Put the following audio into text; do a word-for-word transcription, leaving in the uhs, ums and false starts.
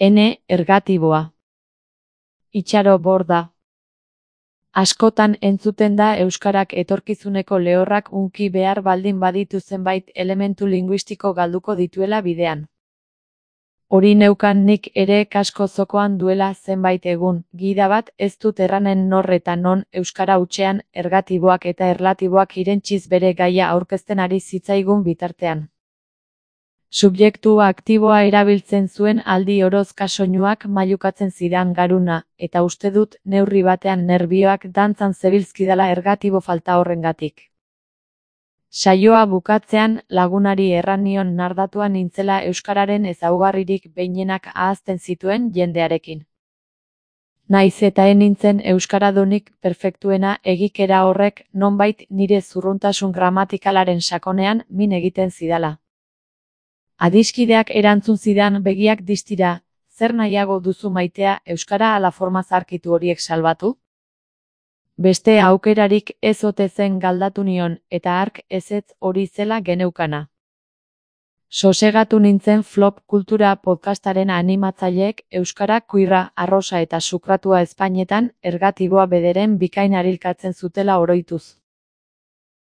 Ene, ergatiboa. Itxaro borda. Askotan entzuten da euskarak etorkizuneko lehorrak hunki behar baldin baditu zenbait elementu linguistiko galduko dituela bidean. Hori neukan nik ere kasko zokoan duela zenbait egun, gida bat ez dut erranen nor eta non euskara hutsean ergatiboak eta erlatiboak irentziz bere gaia aurkezten ari zitzaigun bitartean. Subjektu aktiboa erabiltzen zuen aldi orozka soinuak mailukatzen zidan garuna, eta uste dut neurri batean nerbioak dantzan zebilzkidala ergatibo falta horrengatik. Saioa bukatzean lagunari erran nion nardatua nintzela euskararen ezaugarririk behinenak ahazten zituen jendearekin. Naiz eta ez nintzen euskaradunik perfektuena, egikera horrek nonbait nire zurruntasun gramatikalaren sakonean min egiten zidala. Adiskideak erantzun zidan begiak distira, zer nahiago duzu maitea euskara ala forma zarkitu horiek salbatu? Beste aukerarik ez ote zen galdatu nion, eta hark ezetz hori zela geneukana. Sosegatu nintzen Flop Kultura podcastaren animatzaileek euskara kuirra, arrosa eta sukratua ezpainetan ergatiboa bederen bikain arilkatzen zutela oroituz.